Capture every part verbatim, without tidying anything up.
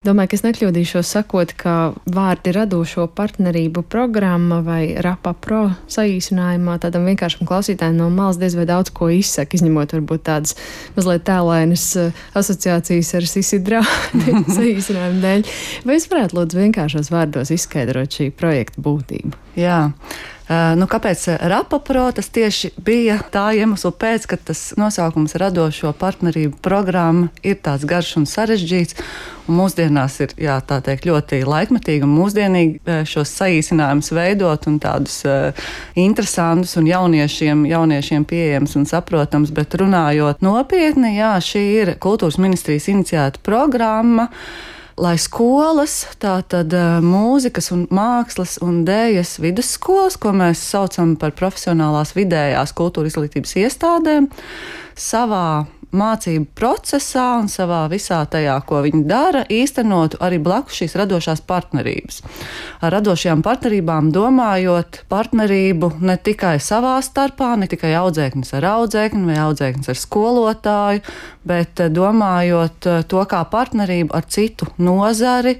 Domāju, ka es nekļūdīšos sakot, ka vārdi radošo partnerību programma vai RAPA Pro saīsinājumā tādam vienkāršam klausītājam no malas diez vai daudz ko izsaka, izņemot varbūt tādas mazliet tēlainas asociācijas ar Sisidrā saīsinājumu dēļ. Vai es varētu lūdzu vienkāršos vārdos izskaidrot šī projekta būtību? Jā. Nu, kāpēc RAPA Pro? Tas tieši bija tā iemesla pēc, ka tas nosaukums radošo partnerību programma ir tāds garš un sarežģīts. Un mūsdienās ir, jā, tā teikt, ļoti laikmetīgi un mūsdienīgi šos saīsinājumus veidot un tādus uh, interesantus un jauniešiem, jauniešiem pieejams un saprotams. Bet runājot nopietni, jā, šī ir Kultūras ministrijas iniciēta programma, lai skolas, tātad mūzikas un mākslas un dējas vidusskolas, ko mēs saucam par profesionālās vidējās kultūra izglītības iestādēm, savā mācību procesā un savā visā tajā, ko viņi dara, īstenotu arī blakus šīs radošās partnerības. Ar radošajām partnerībām domājot partnerību ne tikai savā starpā, ne tikai audzēknis ar audzēkni vai audzēknis ar skolotāju, bet domājot to kā partnerību ar citu nozari,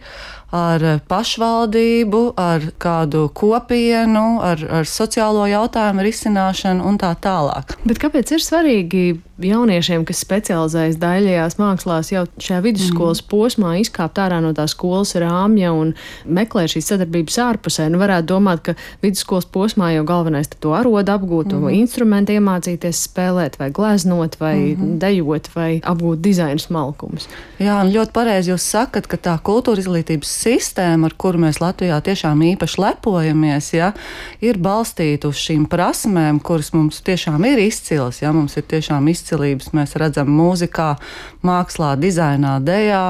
ar pašvaldību, ar kādu kopienu, ar, ar sociālo jautājumu risināšanu un tā tālāk. Bet kāpēc ir svarīgi jauniešiem, kas specializējas daļajās mākslās, jau šajā vidusskolas mm. posmā izkāpt ārā no tā skolas rāmja un meklēt šīs sadarbības ārpusē? Nu, varētu domāt, ka vidusskolas posmā jau galvenais to arodu apgūt, mm. instrumentu iemācīties spēlēt vai gleznot vai mm. dejot vai apgūt dizaina smalkumus. Jā, un ļoti pareizi jūs sakat, ka tā kultūra izglītības sistēma, ar kuru mēs Latvijā tiešām īpaši lepojamies, ja, ir balstīta uz šīm prasmēm, kuras mums tiešām ir izcilas. Ja, mums ir tiešām izcilības, mēs redzam mūzikā, mākslā, dizainā, dejā.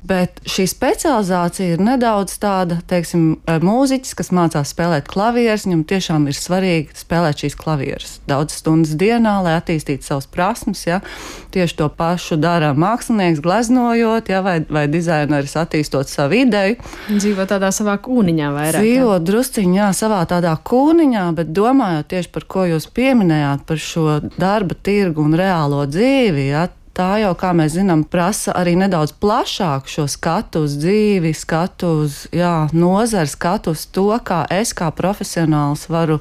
Bet šī specializācija ir nedaudz tāda, teiksim, mūziķis, kas mācās spēlēt klavierus, viņam tiešām ir svarīgi spēlēt šīs klavierus daudz stundas dienā, lai attīstītu savas prasmes. Ja. Tieši to pašu dara mākslinieks, gleznojot, ja, vai, vai dizaineris attīstot savu ideju. Dzīvo tādā savā kūniņā vairāk. Dzīvo drusciņā, jā, savā tādā kūniņā, bet domājot tieši par ko jūs pieminējāt, par šo darba tirgu un reālo dzīvi, ja. Tā jau, kā mēs zinām, prasa arī nedaudz plašāku šo skatu uz dzīvi, skatu uz jā, nozari, skatu uz to, kā es kā profesionāls varu,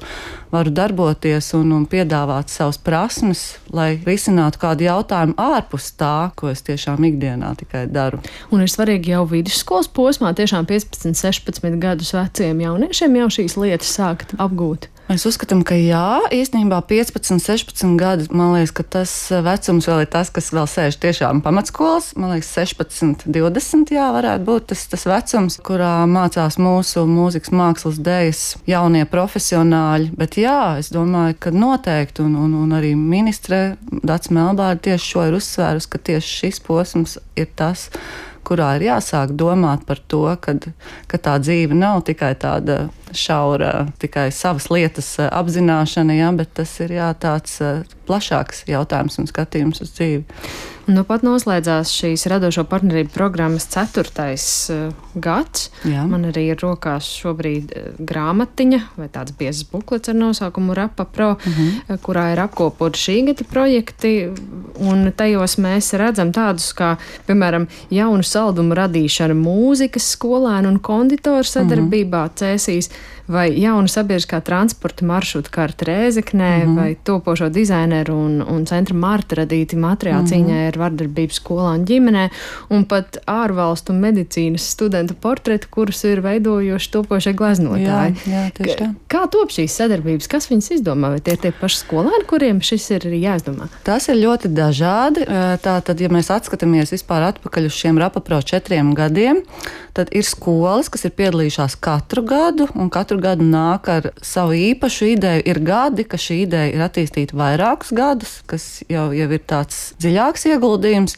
varu darboties un, un piedāvāt savas prasmes, lai risinātu kādu jautājumu ārpus tā, ko es tiešām ikdienā tikai daru. Un ir svarīgi jau vidusskolas posmā, tiešām piecpadsmit, sešpadsmit gadus veciem jauniešiem jau šīs lietas sākt apgūt. Mēs uzskatām, ka jā, īstenībā piecpadsmit, sešpadsmit gadi, man liekas, ka tas vecums vēl ir tas, kas vēl sēž tiešām pamatskolas. Man liekas, sešpadsmit, divdesmit, jā, varētu būt tas, tas vecums, kurā mācās mūsu mūzikas mākslas dējas jaunie profesionāļi. Bet jā, es domāju, ka noteikti, un, un, un arī ministre Dats Melbārde tieši šo ir uzsvērusi, ka tieši šis posms ir tas, kurā ir jāsāk domāt par to, kad, ka tā dzīve nav tikai tāda šaura, tikai savas lietas apzināšana, jā, bet tas ir jā, tāds plašāks jautājums un skatījums uz dzīvi. Nu pat noslēdzās šīs radošo partnerību programmas ceturtais uh, gads. Jā. Man arī ir rokās šobrīd uh, grāmatiņa vai tāds biezs buklets ar nosaukumu RAPA Pro, uh-huh. uh, kurā ir apkopoti šī gada projekti, un tajos mēs redzam tādus kā, piemēram, jaunu saldumu radīšana mūzikas skolēnu un konditoru sadarbībā uh-huh. Cēsīs, vai jauna sabiedriskā transporta maršruta karta Rēzeknē, uh-huh. vai topošo dizaineru un, un centra Marta radīti materiāli uh-huh. cīņai ar vardarbību skolā un ģimenē, un pat ārvalstu medicīnas studentu portreti, kurus ir veidojuši topošie gleznotāji. Jā, jā, tieši tā. Kā top šīs sadarbības? Kas viņas izdomā? Vai tie ir tie paši skolēni, kuriem šis ir jāizdomā? Tas ir ļoti dažādi. Tātad, ja mēs atskatāmies vispār atpakaļ uz šiem RAPA Pro četriem gadiem, tad ir skolas, kas ir piedalījušās katru gadu, un katru gadu nāk ar savu īpašu ideju. Ir gadi, ka šī ideja ir attīstīta vairākus gadus, kas jau, jau ir tāds dziļāks ieguldījums,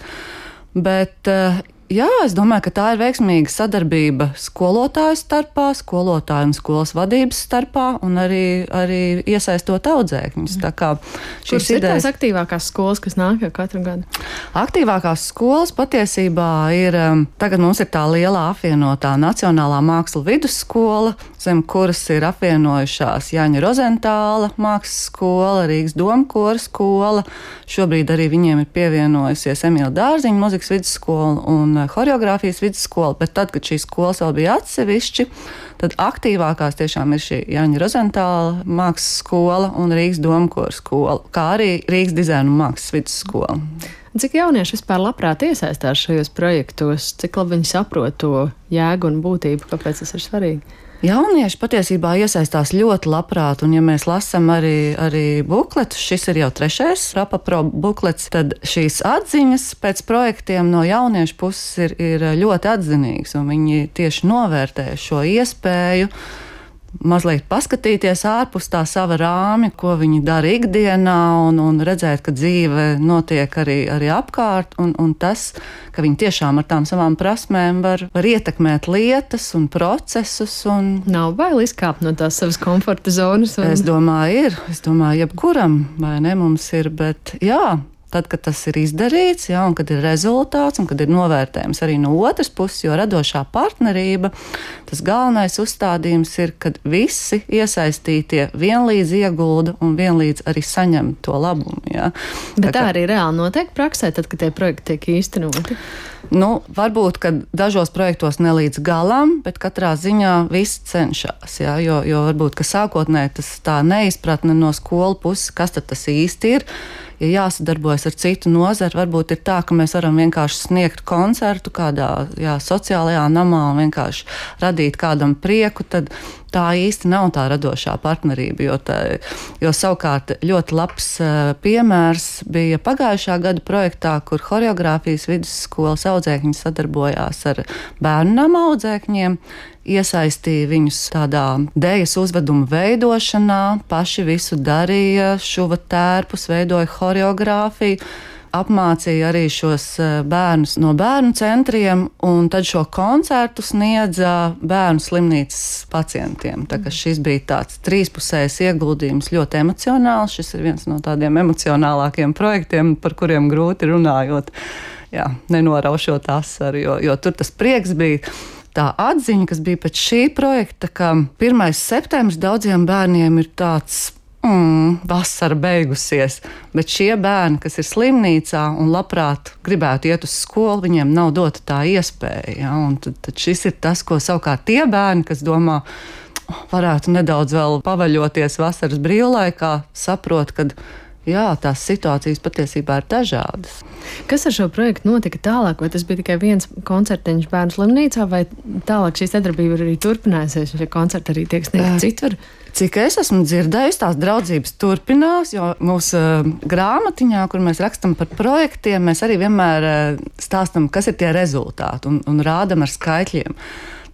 bet jā, es domāju, ka tā ir veiksmīga sadarbība skolotāju starpā, skolotāju un skolas vadības starpā un arī, arī iesaistot audzēkņus. Tā kā šīs Kuras idejas... ir tās aktīvākās skolas, kas nāk jau katru gadu? Aktīvākās skolas patiesībā ir, tagad mums ir tā lielā apvienotā Nacionālā mākslu vidusskola, zem kuras ir apvienojušās Jāņa Rozentāla mākslas skola, Rīgas domkora skola, šobrīd arī viņiem ir pievienojusies Emīla Dārziņa muzikas vidusskola un horeogrāfijas vidusskola, bet tad, kad šīs skolas vēl bija atsevišķi, tad aktīvākās tiešām ir šī Jāņa Rozentāla mākslas skola un Rīgas domkora skola, kā arī Rīgas dizaina un mākslas vidusskola. Cik jaunieši vispār labprāt iesaistās šajos projektos? Cik labi viņi saprot to jēgu un būtību? Kāpēc tas ir svarīgi? Jaunieši patiesībā iesaistās ļoti labprāt, un ja mēs lasām arī, arī bukletus, šis ir jau trešais RapaPro buklets, tad šīs atziņas pēc projektiem no jauniešu puses ir, ir ļoti atzinīgas, un viņi tieši novērtē šo iespēju mazliet paskatīties ārpus tā sava rāmja, ko viņi dara ikdienā, un, un redzēt, ka dzīve notiek arī, arī apkārt, un, un tas, ka viņi tiešām ar tām savām prasmēm var, var ietekmēt lietas un procesus. Un nav bail izkāpt no tās savas komforta zonas? Un... Es domāju, ir. Es domāju, jebkuram, vai ne, mums ir, bet jā. Tad, kad tas ir izdarīts, ja, un kad ir rezultāts, un kad ir novērtējums arī no otras puses, jo radošā partnerība, tas galvenais uzstādījums ir, kad visi iesaistītie vienlīdz iegulda un vienlīdz arī saņem to labumu. Ja. Bet tā, tā arī reāli notiek praksē, tad, kad tie projekti tiek īstenoti? Nu, varbūt, ka dažos projektos ne līdz galam, bet katrā ziņā viss cenšas, ja, jo, jo varbūt, ka sākotnēji tas tā neizpratne no skolu puses, kas tad tas īsti ir. Ja jāsadarbojas ar citu nozari, varbūt ir tā, ka mēs varam vienkārši sniegt koncertu kādā jā, sociālajā namā un vienkārši radīt kādam prieku, tad tā īsti nav tā radošā partnerība, jo, tā, jo savukārt ļoti labs uh, piemērs bija pagājušā gada projektā, kur horeogrāfijas vidusskolas audzēkņi sadarbojās ar bērnu nama audzēkņiem, iesaistīja viņus tādā dējas uzveduma veidošanā, paši visu darīja, šuva tērpus, veidoja horeogrāfiju, apmācīja arī šos bērnus no bērnu centriem, un tad šo koncertu sniedza bērnu slimnīcas pacientiem. Tā kā šis bija tāds trīspusējs ieguldījums, ļoti emocionāls. Šis ir viens no tādiem emocionālākiem projektiem, par kuriem grūti runājot, jā, nenoraušot asaru, jo, jo tur tas prieks bija. Tā atziņa, kas bija pēc šī projekta, ka pirmais septembris daudziem bērniem ir tāds mm, vasara beigusies, bet šie bērni, kas ir slimnīcā un labprāt gribētu iet uz skolu, viņiem nav dota tā iespēja. Ja? Un tad, tad šis ir tas, ko savukārt tie bērni, kas domā, varētu nedaudz vēl pavaļoties vasaras brīvlaikā, saprot, kad jā, tās situācijas patiesībā ir dažādas. Kas ar šo projektu notika tālāk? Vai tas bija tikai viens koncertiņš bērnu slimnīcā, vai tālāk šī sadarbība arī turpinājusies, un šie koncerti arī tiek sniegti citur? Cik es esmu dzirdējusi, tās draudzības turpinās, jo mūsu uh, grāmatiņā, kur mēs rakstam par projektiem, mēs arī vienmēr uh, stāstam, kas ir tie rezultāti, un, un rādam ar skaitļiem.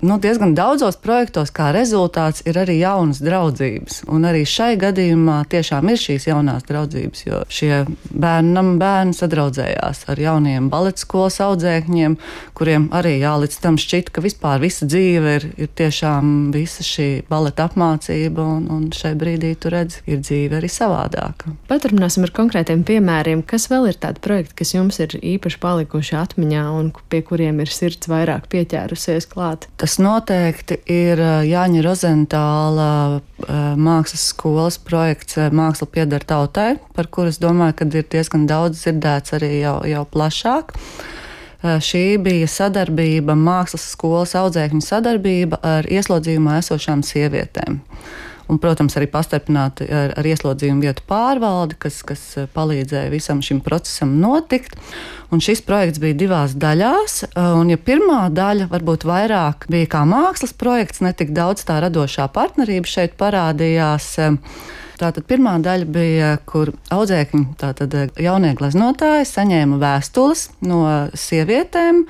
Nu, diezgan daudzos projektos kā rezultāts ir arī jaunas draudzības. Un arī šai gadījumā tiešām ir šīs jaunās draudzības, jo šie bērnam bērni sadraudzējās ar jauniem baleta skolas audzēkņiem, kuriem arī jā, līdz tam šķita, ka vispār visa dzīve ir, ir tiešām visa šī baleta apmācība, un, un šai brīdī tu redzi, ir dzīve arī savādāka. Paturpināsim ar konkrētiem piemēriem. Kas vēl ir tādi projekti, kas jums ir īpaši palikuši atmiņā un pie kuriem ir sirds vairāk pieķērusies klāt? Tas noteikti ir Jāņa Rozentāla mākslas skolas projekts Māksla pieder tautai, par kuru es domāju, ka ir diezgan daudz dzirdēts arī jau, jau plašāk. Šī bija sadarbība, mākslas skolas audzēkņu sadarbība ar ieslodzījumā esošām sievietēm. Un, protams, arī pastarpināti ar, ar ieslodzījumu vietu pārvaldi, kas, kas palīdzēja visam šim procesam notikt. Un šis projekts bija divās daļās, un ja pirmā daļa varbūt vairāk bija kā mākslas projekts, ne tik daudz tā radošā partnerība šeit parādījās. Tātad pirmā daļa bija, kur audzēkņi, tātad jaunie gleznotāji, saņēma vēstules no sievietēm,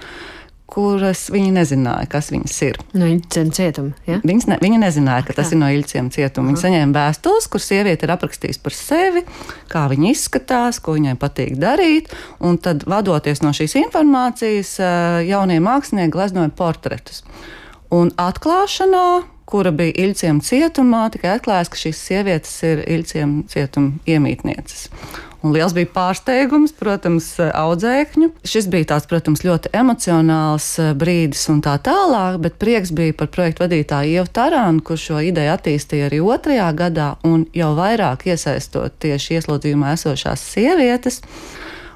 kuras viņi nezināja, kas viņas ir. No Iļciem cietuma, ja? Viņas ne, viņi nezināja, ka tas ir no Iļciem cietuma. Viņi saņēma vēstules, kur sieviete ir aprakstījusi par sevi, kā viņa izskatās, ko viņai patīk darīt, un tad, vadoties no šīs informācijas, jaunie mākslinieki gleznoja portretus. Un atklāšanā, kura bija Iļciem cietumā, tikai atklājās, ka šīs sievietes ir Iļciem cietuma iemītnieces. Un liels bija pārsteigums, protams, audzēkņu. Šis bija tāds, protams, ļoti emocionāls brīdis un tā tālāk, bet prieks bija par projektu vadītāju Ievu Tarānu, kurš šo ideju attīstīja arī otrajā gadā un jau vairāk iesaistot tieši ieslodzījumā esošās sievietes.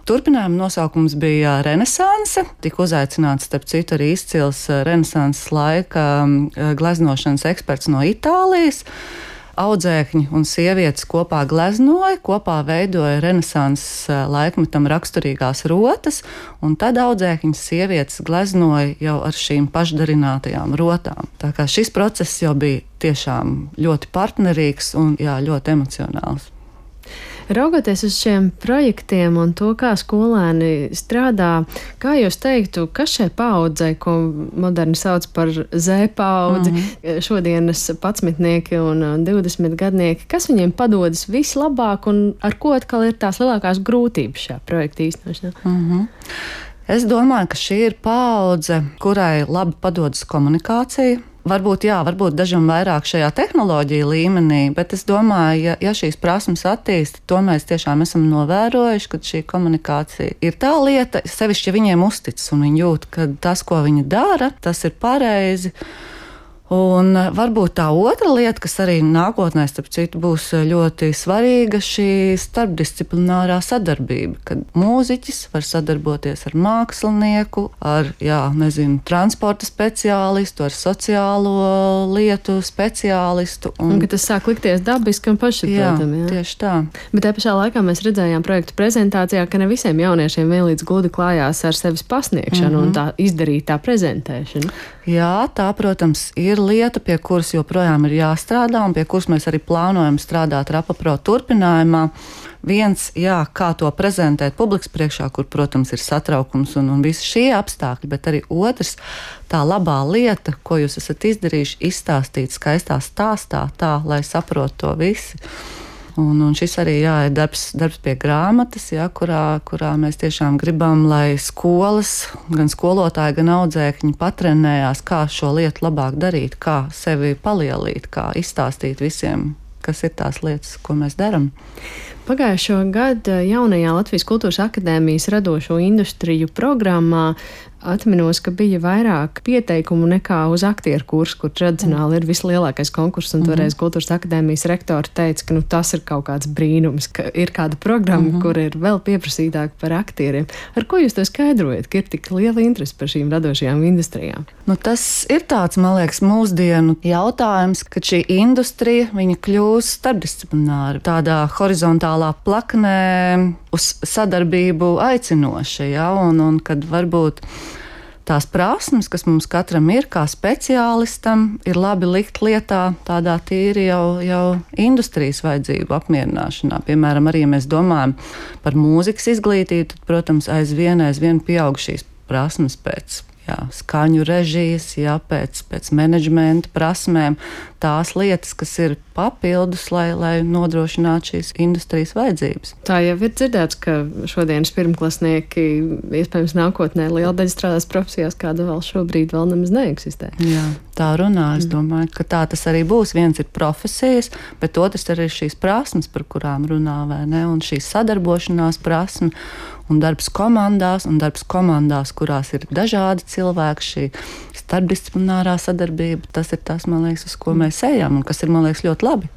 Turpinājuma nosaukums bija Renesanse. Tika uzaicināts, starp citu, arī izcils Renesanses laika gleznošanas eksperts no Itālijas. Audzēkņi un sievietes kopā gleznoja, kopā veidoja Renesanses laikmetam raksturīgās rotas, un tad audzēkņi sievietes gleznoja jau ar šīm pašdarinātajām rotām. Tā kā šis process jau bija tiešām ļoti partnerīgs un jā, ļoti emocionāls. Raugoties uz šiem projektiem un to, kā skolēni strādā, kā jūs teiktu, kas šai paaudzei, ko moderni sauc par Z paudzi, mm-hmm. šodienas padsmitnieki un divdesmitgadnieki, kas viņiem padodas vislabāk un ar ko atkal ir tās lielākās grūtības šajā projekta īstenošanā? Mm-hmm. Es domāju, ka šī ir paudze, kurai labi padodas komunikācija. Varbūt, jā, varbūt dažam vairāk šajā tehnoloģija līmenī, bet es domāju, ja, ja šīs prasmes attīsta, to mēs tiešām esam novērojuši, ka šī komunikācija ir tā lieta, sevišķi, ja viņiem uzticas un viņi jūt, ka tas, ko viņi dara, tas ir pareizi. Un varbūt tā otra lieta, kas arī nākotnē, starp citu, būs ļoti svarīga, šī starpdisciplinārā sadarbība, kad mūziķis var sadarboties ar mākslinieku, ar, jā, nezinu, transporta speciālistu, ar sociālo lietu speciālistu. Un, un ka tas sāk likties dabiski un pašsaprotami. Jā, jā, tieši tā. Bet te pašā laikā mēs redzējām projektu prezentācijā, ka ne visiem jauniešiem vienlīdz gludi klājās ar sevis pasniegšanu mm-hmm. un tā izdarītā prezentēšanu. Jā, tā, protams, ir lieta, pie kuras joprojām ir jāstrādā un pie kuras mēs arī plānojam strādāt RapaPro turpinājumā. Viens, jā, kā to prezentēt publikas priekšā, kur, protams, ir satraukums un, un visi šie apstākļi, bet arī otrs, tā labā lieta, ko jūs esat izdarījuši, izstāstīt skaistā stāstā tā, lai saprot to visi. Un, un šis arī jā, ir darbs, darbs pie grāmatas, jā, kurā, kurā mēs tiešām gribam, lai skolas, gan skolotāji, gan audzēkņi patrenējās, kā šo lietu labāk darīt, kā sevi palielīt, kā izstāstīt visiem, kas ir tās lietas, ko mēs darām. Pagājušo gadu jaunajā Latvijas Kultūras akadēmijas radošo industriju programmā atminos, ka bija vairāk pieteikumu nekā uz aktieru kursu, kur tradicionāli ir vislielākais konkurss, un toreiz Kultūras akadēmijas rektori teica, ka nu, tas ir kaut kāds brīnums, ka ir kāda programma, mm-hmm. kur ir vēl pieprasītāka par aktieriem. Ar ko jūs to skaidrojat, ka ir tik liela interese par šīm radošajām industrijām? Nu, tas ir tāds, man liekas, mūsdienu jautājums, ka šī industrija, viņa kļūst starpdisciplināra, tādā horizontālā plaknē uz sadarbību aicinoša, ja, un, un kad varbūt tās prasmes, kas mums katram ir kā speciālistam, ir labi likt lietā tādā tīri jau, jau industrijas vajadzību apmierināšanā. Piemēram, arī, ja mēs domājam par mūzikas izglītību, tad, protams, aizvien, aizvien pieaug šīs prasmes pēc jā, skaņu režijas, jā, pēc, pēc menedžmenta prasmēm, tās lietas, kas ir papildus, lai, lai nodrošinātu šīs industrijas vajadzības. Tā jau ir dzirdēts, ka šodienas pirmklasnieki iespējams nākotnē liela daļa strādās profesijās, kāda vēl šobrīd vēl nemaz neeksistē. Jā, tā runā. Es domāju, ka tā tas arī būs. Viens ir profesijas, bet otrs arī ir šīs prasmes, par kurām runā, vai ne? Un šī sadarbošanās prasme un darbs komandās, un darbs komandās, kurās ir dažādi cilvēki, šī starpdisciplinārā sadarbība, tas ir tas, man liekas, uz ko mēs ejam un kas ir, man liekas, ļoti labi.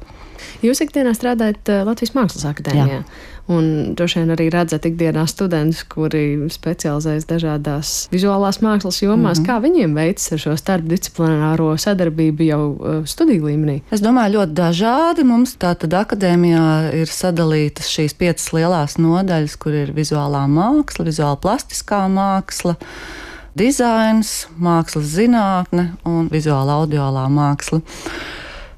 Jūs ikdienā strādājat Latvijas Mākslas akadēmijā, un droši vien arī redzat ikdienā studentus, kuri specializējas dažādās vizuālās mākslas jomās. Mm-hmm. Kā viņiem veicas ar šo starpdisciplināro sadarbību jau studiju līmenī? Es domāju, ļoti dažādi. Mums tātad akadēmijā ir sadalītas šīs piecas lielās nodaļas, kur ir vizuālā māksla, vizuāla plastiskā māksla, dizains, mākslas zinātne un vizuāla audiālā māksla.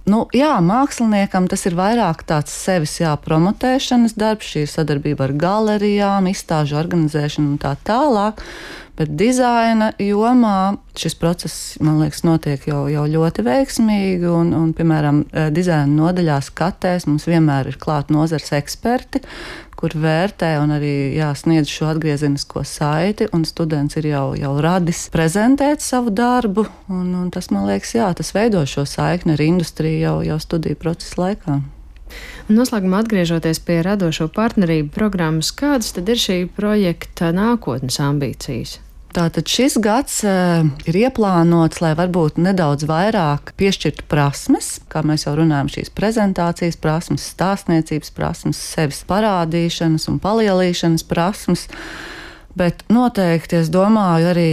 Nu, jā, māksliniekam tas ir vairāk tāds sevis jā, promotēšanas darbs, šī sadarbība ar galerijām, izstāžu organizēšanu un tā tālāk. Bet dizaina jomā šis process, man liekas, notiek jau, jau ļoti veiksmīgi. Un, un, piemēram, dizaina nodaļās katēs mums vienmēr ir klāt nozares eksperti, kur vērtē un arī jā, sniedz šo atgriezenisko saiti. Un students ir jau, jau radis prezentēt savu darbu. Un, un tas, man liekas, jā, tas veido šo saikni ar industriju jau, jau studiju procesa laikā. Noslēgumā atgriežoties pie radošo partnerību programmas, kādas tad ir šī projekta nākotnes ambīcijas? Tātad šis gads uh, ir ieplānots, lai varbūt nedaudz vairāk piešķirtu prasmes, kā mēs jau runājam, šīs prezentācijas prasmes, stāstniecības prasmes, sevis parādīšanas un palielīšanas prasmes. Bet noteikti, es domāju, arī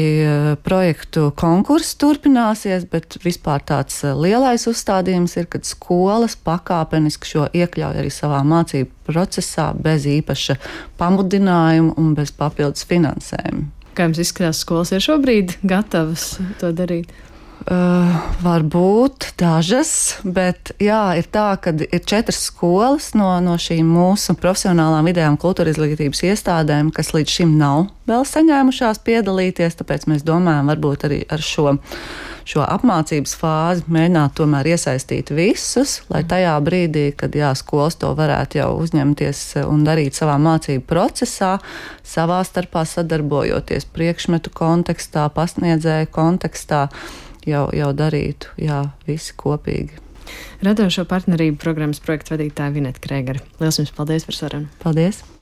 projektu konkurss turpināsies, bet vispār tāds lielais uzstādījums ir, kad skolas pakāpeniski šo iekļauj arī savā mācību procesā bez īpaša pamudinājuma un bez papildus finansējuma. Kā jums izskatās, skolas ir šobrīd gatavas to darīt? Uh, varbūt dažas, bet jā, ir tā, ka ir četras skolas no, no šīm mūsu profesionālām vidējām kultūra izglītības iestādēm, kas līdz šim nav vēl saņēmušās piedalīties, tāpēc mēs domājam varbūt arī ar šo, šo apmācības fāzi mēģināt tomēr iesaistīt visus, lai tajā brīdī, kad jā, skolas to varētu jau uzņemties un darīt savā mācību procesā, savā starpā sadarbojoties priekšmetu kontekstā, pasniedzēju kontekstā, Jau, jau darītu, jā, visi kopīgi. Radošo partnerību programmas projektu vadītāja Vineta Krēgere. Liels jums paldies par sarunu. Paldies!